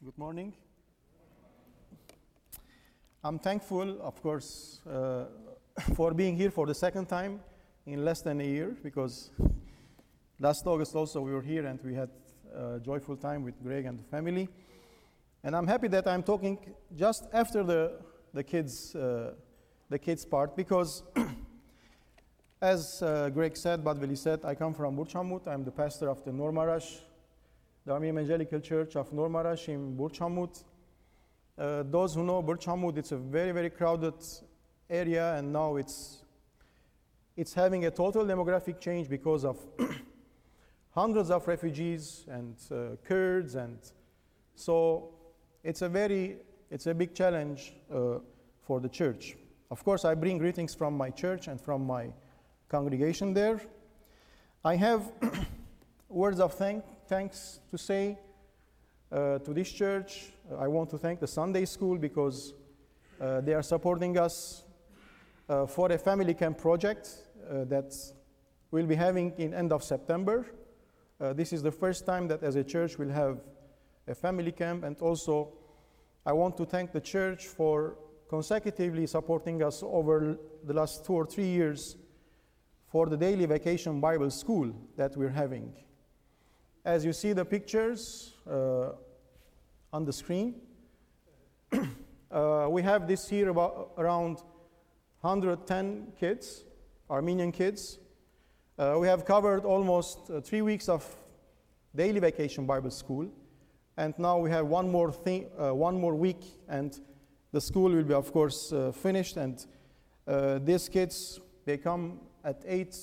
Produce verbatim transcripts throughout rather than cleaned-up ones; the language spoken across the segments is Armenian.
Good morning. I'm thankful, of course, uh, for being here for the second time in less than a year, because last August also we were here and we had a joyful time with Greg and the family. And I'm happy that I'm talking just after the, the kids uh, the kids part, because as uh, Greg said, Badveli said, I come from Burj Hamut. I'm the pastor of the Nor Marash, the Army Evangelical Church of Nor Marash in Burj Hamut. Uh, those who know Burj Hamut, it's a very, very crowded area, and now it's it's having a total demographic change because of hundreds of refugees and uh, Kurds, and so it's a very it's a big challenge uh, for the church. Of course, I bring greetings from my church and from my congregation there. I have words of thank, thanks to say uh, to this church. I want to thank the Sunday school because uh, they are supporting us uh, for a family camp project uh, that we'll be having in end of September. Uh, this is the first time that as a church we'll have a family camp, and also I want to thank the church for consecutively supporting us over the last two or three years for the daily vacation Bible school that we're having. As you see the pictures uh, on the screen, uh, we have this year about around one hundred ten kids, Armenian kids. Uh, we have covered almost uh, three weeks of daily vacation Bible school, and now we have one more thing, uh, one more week, and the school will be, of course, uh, finished. And uh, these kids, they come at eight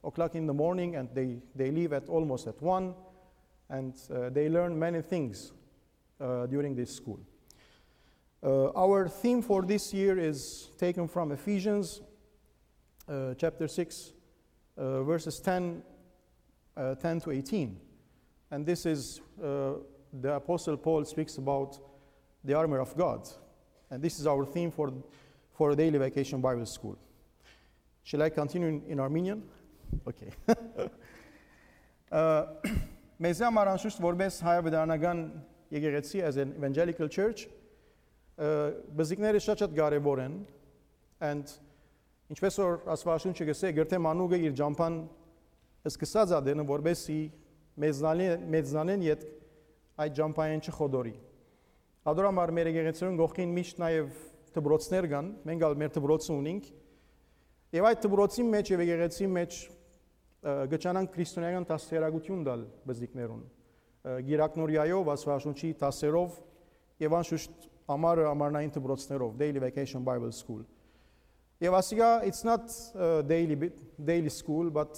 o'clock in the morning, and they, they leave at almost at one, and uh, they learn many things uh, during this school. Uh, our theme for this year is taken from Ephesians uh, chapter six, uh, verses ten, uh, ten to eighteen. And this is, uh, the Apostle Paul speaks about the armor of God. And this is our theme for, for Daily Vacation Bible School. Shall I continue in, in Armenian? Okay. Մեզ համար անշուշտ որպես հայաբնական եկեղեցի, as an evangelical church, բզիկները շատ-շատ կարևոր են, and ինչպես որ Աստվածաշունչը գսե, գրթե մանուկը իր ջամփան սկսած ադենը որպեսի մեծնանեն իդ այդ ջամփային չխոդորի։ Ադորամար մեր եկեղեցիներուն գողքին միշտ նաև դբրոցներ կան, մենք ալ մեր դբրոցը ունենք, եւ այդ դբրոցի մեջ եւ եկեղեցի մեջ գճանան քրիստոնեական դասերագություն դալ բզիկներուն, գիրակնորիայով, Աստվածաշունչի դասերով եւ անշուշտ ամառը ամառնային դբրոցներով, daily vacation Bible school. Եվ ասիկա, it's not uh, daily daily school, but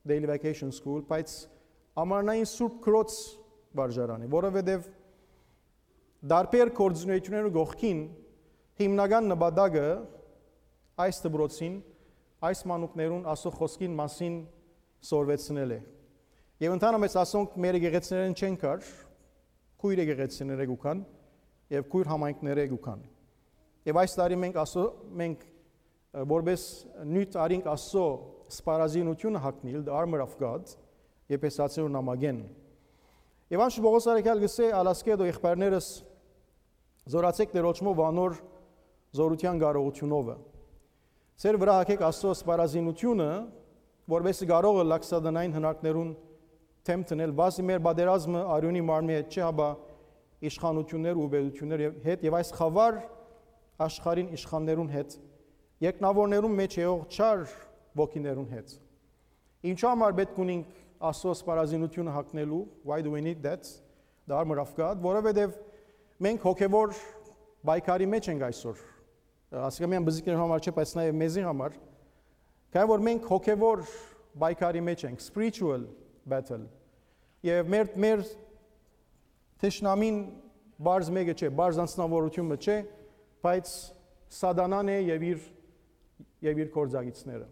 daily vacation school, բայց ամառնային Սուրբ Քրոց վարժարան է, որովհետեւ դարբեր կորձունեությունները գողքին հիմնական նպատակը այս դբրոցին, այս մանուկներուն Աստծո խոսքին մասին սորվեցնել է։ Եվ ընդհանրապես ասոնք մեր եկեղեցիներեն չեն կար, քույր եկեղեցիները գուքան եւ քույր համայնքները գուքան։ Եվ այս տարի մենք ասո մենք որպես նույն արինք Աստծո սպարազինությունը հագնել, the armor of God, Եփեսացիներուն նամակեն։ Եվ անշուշտ Պողոս արաքյալ գսե ալասկեդո եղբայրներս զորացեք դերոճմով անոր զորության կարողությունով։ Ձեր վրա հագեք Աստծո սպարազինությունը, որովհետեւ կարող է լաքսադանային հնարքներուն թեմ տնել, բացի մեր բادرազմը արյունի մարմնի հետ չի, հաբա իշխանություններ ու բեդություններ հետ եւ այս խավար աշխարհին իշխաններուն հետ, երկնավորներուն մեջ եղող չար ոգիներուն հետ։ Ինչու համար պետք ունենք Աստծո սպարազինությունը հագնելու? Why do we need that? The armor of God, որովհետեւ մենք հոգևոր բայկարի մեջ ենք այսօր։ Ասիկամյան բզիկների համար չէ, բայց նաև մեզի համար։ Քանի որ մենք հոգևոր բայկարի մեջ ենք, spiritual battle։ Եվ մեր մեր թշնամին բարձ մեկը չէ, բարձ անձնավորությունը չէ, բայց սատանան է եւ իր եւ իր կորձագիցները։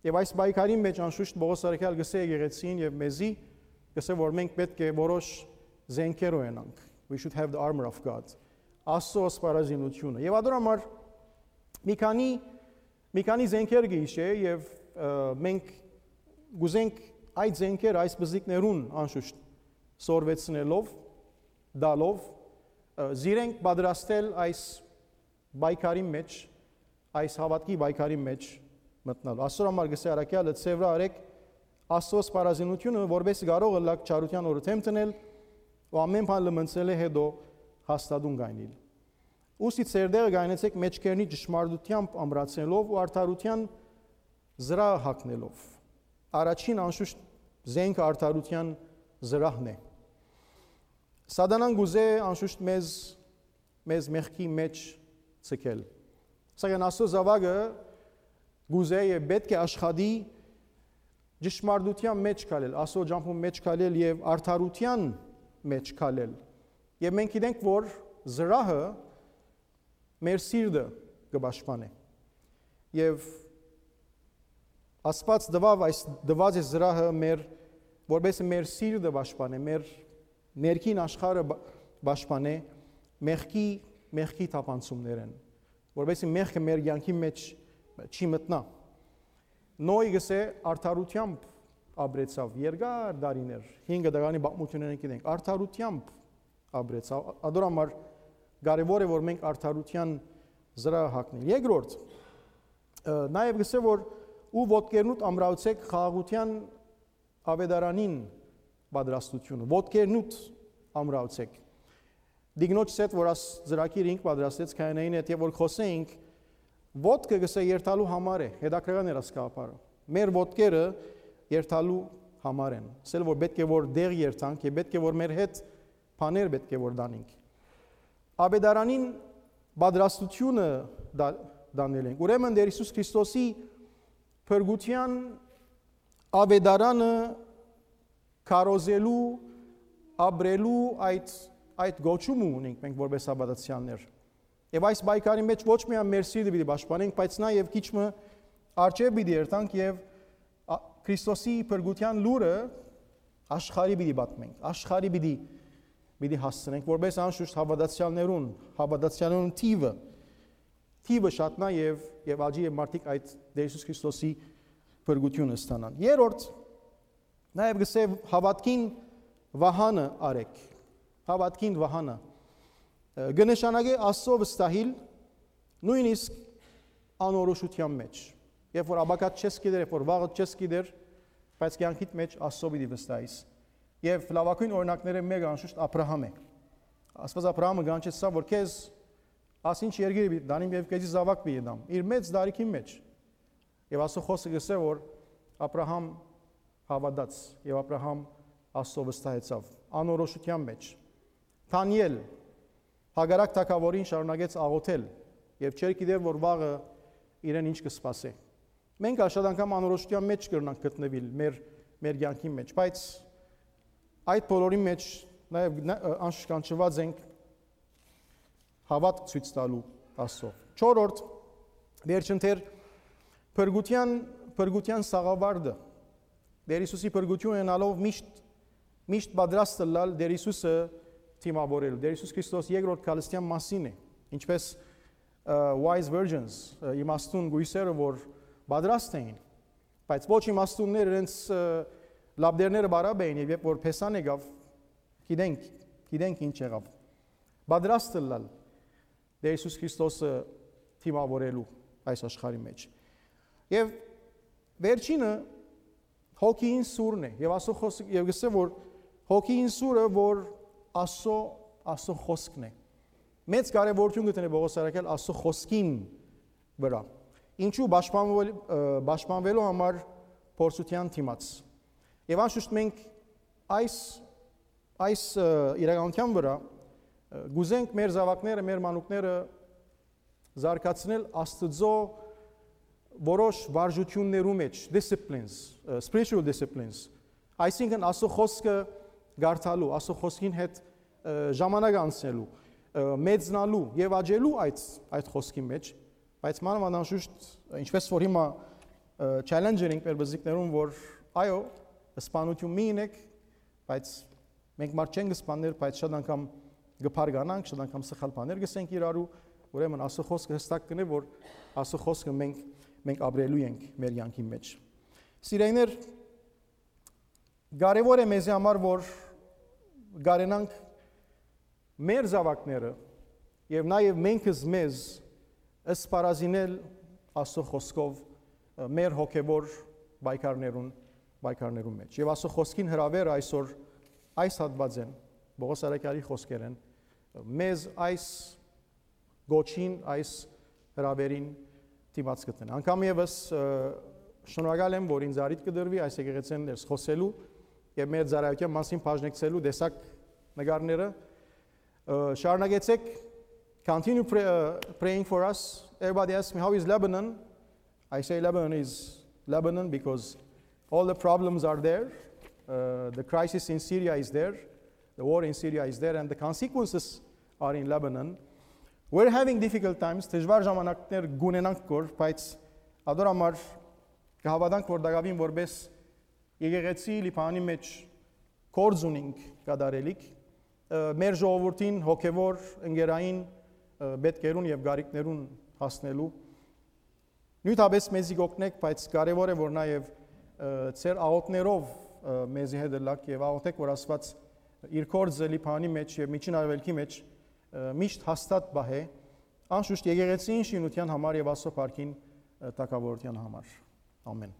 Եվ այս բայկարի մեջ անշուշտ Պողոս արաքյալ գսե եկեղեցին եւ մեզի գսե, որ մենք պետք է որոշ զենքեր ունենանք։ We should have the armor of God. Աստծո սպարազինությունը։ Եվ ադորամար մի քանի մի քանի զենքեր գիշե եւ մենք գուզենք այդ զենքերը այս բզիկներուն անշուշտ սորվեցնելով դալով զիրենք պատրաստել այս բայկարի մեջ, այս հավատքի բայկարի մեջ մտնալ։ Աստծո համար գսե արաքյալը ծևրա արեք Աստծո սպառազինությունը, որպես կարող լակ չարության օրը թեմ տնել ու ամեն բան լմնցել է հետո հաստատուն գայնել։ Ուսի ծերդերը գայնեցեք մեջքերնի ճշմարտությամբ ամրացնելով ու արդարության զրահ հագնելով։ Առաջին անշուշտ զենքը արդարության զրահն է։ Սատանան գուզե անշուշտ մեզ մեզ մեղքի մեջ ցկել։ Սակայն Աստծո զավակը գուզե եւ պետք է աշխատի ճշմարտության մեջ քալել, Աստծո ջամփում մեջ քալել եւ արդարության մեջ քալել։ Եվ մենք գիտենք, որ զրահը մեր սիրտը կպաշտպանի։ Եվ Աստված դվավ այս դված է զրահը մեր որպես մեր սիրտը պաշտպանի, մեր ներքին աշխարհը պաշտպանի մեղքի մեղքի թափանցումներն, որպես մեղքը մեր կյանքի մեջ չի մտնա։ Նոյ գսե արդարությամբ ապրեցավ երկար դարիներ, հինգ դարանի պատմություններն գիտենք, արդարությամբ ապրեցավ, ադորամար կարևոր է որ մենք արդարության զրահ հագնենք։ Երկրորդ, նաև գսե որ ու ոտքերնուտ ամրացեք խաղաղության ավետարանին պատրաստությունը, ոտքերնուտ ամրացեք։ Դիգնոջ սետ որ աս զրակիր ինք պատրաստեց քահանային հետ եւ որ խոսեինք ոտքը գսե երթալու համար է, հետաքրքրական էր ասկապարը։ Մեր ոտքերը երթալու համար են։ Ասել որ պետք է որ դեղ երթանք եւ պետք է որ մեր հետ բաներ պետք է որ դանենք։ Ավետարանին պատրաստությունը դանել ենք։ Ուրեմն Տեր Հիսուս Քրիստոսի փրկության ավետարանը կարոզելու, ապրելու այդ այդ գոչումը ունենք մենք որպես հավատացյալներ։ Եվ այս բայկարի մեջ ոչ միայն մեր սիրտը պիտի պաշտպանենք, բայց նաև քիչը արժե պիտի երթանք եւ Քրիստոսի փրկության լուրը աշխարհի պիտի պատմենք, աշխարհի պիտի պիտի հասցնենք որպես անշուշտ հավատացյալներուն, հավատացյալներուն թիվը թիվը շատնա եւ եւ աջի եւ մարդիկ այդ Տեր Հիսուս Քրիստոսի փրկությունը ստանան։ Երրորդ նաև գսե հավատքին վահանը արեք։ Հավատքին վահանը գնշանագե Աստծո վստահիլ նույնիսկ անորոշության մեջ։ Երբ որ աբակատ չես գիտեր, երբ որ վաղը չես գիտեր, բայց կյանքիդ մեջ Աստծո պիտի վստահիս։ Եվ լավագույն օրինակները մեկը անշուշտ Աբրահամ է։ Աստված Աբրահամը գանչեց սա, որ քեզ ասինչ երկիր պիտի դանիմ եւ քեզի զավակ պիտի դամ։ Իր մեծ դարիքի մեջ։ Եվ Աստծո խոսքը գսե, որ Աբրահամ հավատաց եւ Աբրահամ Աստծո վստահեցավ անորոշության մեջ։ Դանիել Հագարակ թագավորին շարունակեց աղոթել եւ չէր գիտեր որ վաղը իրեն ինչ կսպասի։ Մենք շատ անգամ անորոշության մեջ կգրնանք գտնվել մեր մեր կյանքի մեջ, բայց այդ բոլորի մեջ նաեւ անշկանչված ենք հավատք ցույց տալու Աստծո։ Չորրորդ վերջընթեր փրկության փրկության սաղավարտը Տեր Հիսուսի փրկությունը ունենալով միշտ միշտ պատրաստ լալ Տեր Հիսուսը թիմավորել։ Տեր Հիսուս Քրիստոս երկրորդ քալստյան մասին է, ինչպես wise virgins, իմաստուն գույսերը, որ պատրաստ էին, բայց ոչ իմաստունները իրենց լաբդերները բարաբ էին, եւ երբ որ փեսան եկավ, գիտենք, գիտենք ինչ եղավ։ Պատրաստ լալ Տեր Հիսուս Քրիստոսը թիմավորելու այս աշխարհի մեջ։ Եվ վերջինը հոգին սուրն է, եւ ասո խոսք եւ գսե որ հոգին սուրը որ Աստծո Աստծո խոսքն է։ Մեծ կարևորություն գտնի Պողոս արաքյալ Աստծո խոսքին վրա։ Ինչու պաշտպանվել պաշտպանվելու համար փորձության դիմաց։ Եվ անշուշտ մենք այս այս իրականության վրա գուզենք մեր զավակները, մեր մանուկները զարգացնել Աստծո որոշ վարժություններու մեջ, disciplines, spiritual disciplines։ Այսինքն Աստծո խոսքը գարթալու, Աստծո խոսքին հետ ժամանակ անցնելու, մեծնալու եւ աճելու այդ այդ խոսքի մեջ, բայց մանավանդ անշուշտ ինչպես որ հիմա challenge-եր ենք մեր բզիկներուն, որ այո, սպանություն մի ունեք, բայց մենք մարդ չենք սպանել, բայց շատ անգամ գփարգանանք, շատ անգամ սխալ բաներ գսենք իրարու, ուրեմն Աստծո խոսքը հստակ կնե, որ Աստծո խոսքը մենք մենք ապրելու ենք մեր յանքի մեջ։ Սիրելիներ, կարևոր է մեզ համար, որ գարենանք մեր զավակները եւ նաեւ մենք մեզ ըստ պարազինել Աստծո խոսքով մեր հոգեվոր բայկարներուն բայկարներուն մեջ։ Եվ Աստծո խոսքին հրավերը այսօր այս հատվածեն Պողոս Արաքյալի խոսքերեն մեզ այս գոչին, այս հրավերին դիմաց գտնեն։ Անկամ եւս շնորհակալ եմ, որ ինձ արիթ կդրվի այս եկեղեցին ներս խոսելու եւ մեր ծառայության մասին բաժնեկցելու դեսակ նկարները։ Շարունակեցեք, continue pray, uh, praying for us. Everybody asks me, how is Lebanon? I say Lebanon is Lebanon because all the problems are there. Uh, the crisis in Syria is there. The war in Syria is there, and the consequences are in Lebanon. We're having difficult times. Դժվար ժամանակներ գունենանք կոր, բայց ադոր համար կհավատանք, որ դակավին որպես եկեղեցի Լիբանանի մեջ կորձ ունենք կատարելիք, մեր ժողովրդին հոգևոր ընկերային պետքերուն եւ գարիկներուն հասնելու նույնիսկ մեզի գոկնեք, բայց կարեւոր է որ նաեւ ծեր աղոթներով մեզի հետ լակ եւ աղոթեք, որ Աստված իր կորձը Լիբանանի մեջ եւ միջին արևելքի մեջ միշտ հաստատ բահե, անշուշտ եկեղեցին շինության համար եւ Աստծո փառքին տակավորության համար։ Ամեն։